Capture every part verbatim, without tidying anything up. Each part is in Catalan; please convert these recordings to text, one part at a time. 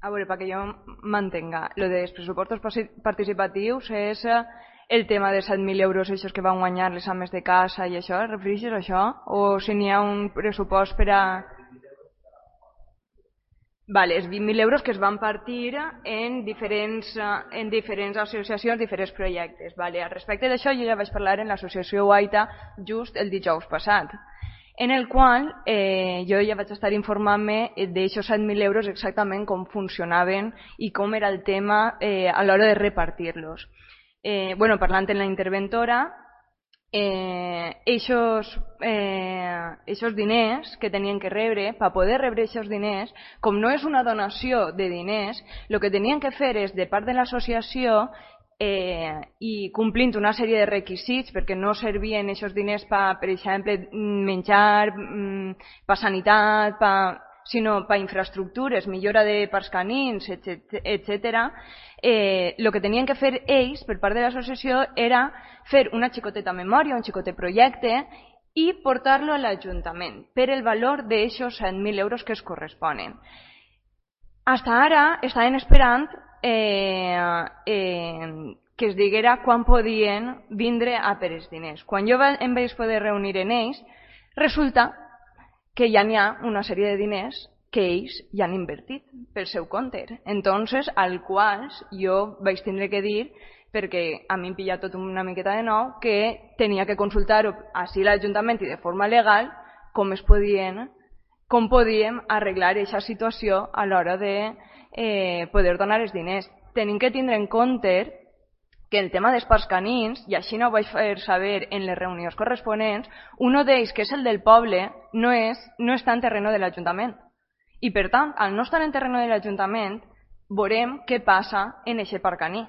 A veure, perquè jo m'entenga, lo dels pressupostos participatius és el tema de set mil euros aquests que van guanyar les ames de casa i això, refereixes a això? O si n'hi ha un pressupost per a... Vale, els vint mil euros que es van partir en diferents, en diferents associacions, diferents projectes. Vale, al respecte d'això jo ja vaig parlar en l'associació Guaita just el dijous passat, en el qual eh, jo ja vaig estar informant-me d'aixòs set mil euros exactament com funcionaven i com era el tema eh, a l'hora de repartir-los. Eh, bueno, parlant en la interventora, eh, eixos, eh, eixos diners que tenien que rebre, per poder rebre eixos diners, com no és una donació de diners, el que tenien que fer és, de part de l'associació, eh, i complint una sèrie de requisits, perquè no servien eixos diners per, per exemple, menjar, per sanitat, per, sinó per infraestructures, millora de parcs canins, etcètera, eh, el que tenien que fer ells, per part de l'associació, era fer una xicoteta memòria, un xicotet projecte, i portar-lo a l'Ajuntament per el valor d'aixòs set mil euros que es corresponen. Hasta ara estaven esperant eh, eh, que es diguera quan podien vindre a per els diners. Quan jo em vaig poder reunir en ells, resulta que ja n'hi ha una sèrie de diners que ells ja han invertit pel seu compte. Entonces, al qual jo vaig tindre que dir, perquè a mi em pilla tot una miqueta de nou, que tenia que consultar-ho així l'Ajuntament i de forma legal com es podien, com podíem arreglar aquesta situació a l'hora de eh, poder donar els diners. Tenim que tindre en compte que el tema dels parcs canins, i així no ho vaig fer saber en les reunions corresponents, un d'ells, que és el del poble, no, és, no està en terreno de l'Ajuntament. I per tant, al no estar en terreno de l'Ajuntament, veurem què passa en aquest parc caní,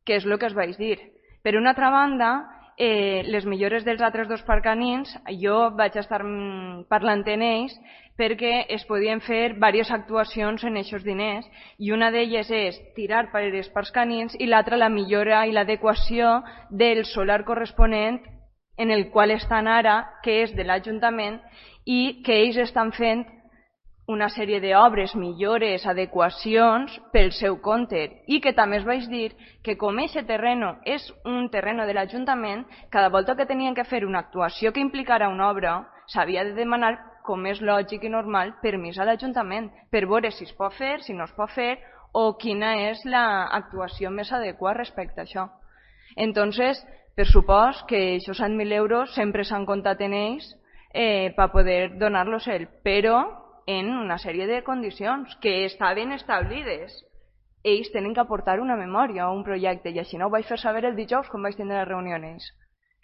que és el que us vaig dir. Per una altra banda, eh, les millores dels altres dos parcs canins, jo vaig estar parlant en ells perquè es podien fer diverses actuacions en aquests diners i una d'elles és tirar per els parcs canins i l'altra la millora i l'adequació del solar corresponent en el qual estan ara, que és de l'Ajuntament i que ells estan fent una sèrie d'obres, millores, adequacions pel seu compte i que també es vaig dir que com aquest terreno és un terreno de l'Ajuntament, cada volta que tenien que fer una actuació que implicara una obra s'havia de demanar, com és lògic i normal, permís a l'Ajuntament per veure si es pot fer, si no es pot fer o quina és l'actuació més adequada respecte a això. Entonces, per supost que aquests set mil euros sempre s'han comptat en ells eh, per poder donar-los ell, però en una sèrie de condicions que estaven establides. Ells tenen que aportar una memòria o un projecte i així no ho vaig fer saber el dijous quan vaig tindre les reunions.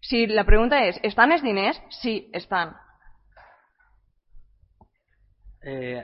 Si la pregunta és, estan els diners? Sí, estan. Eh,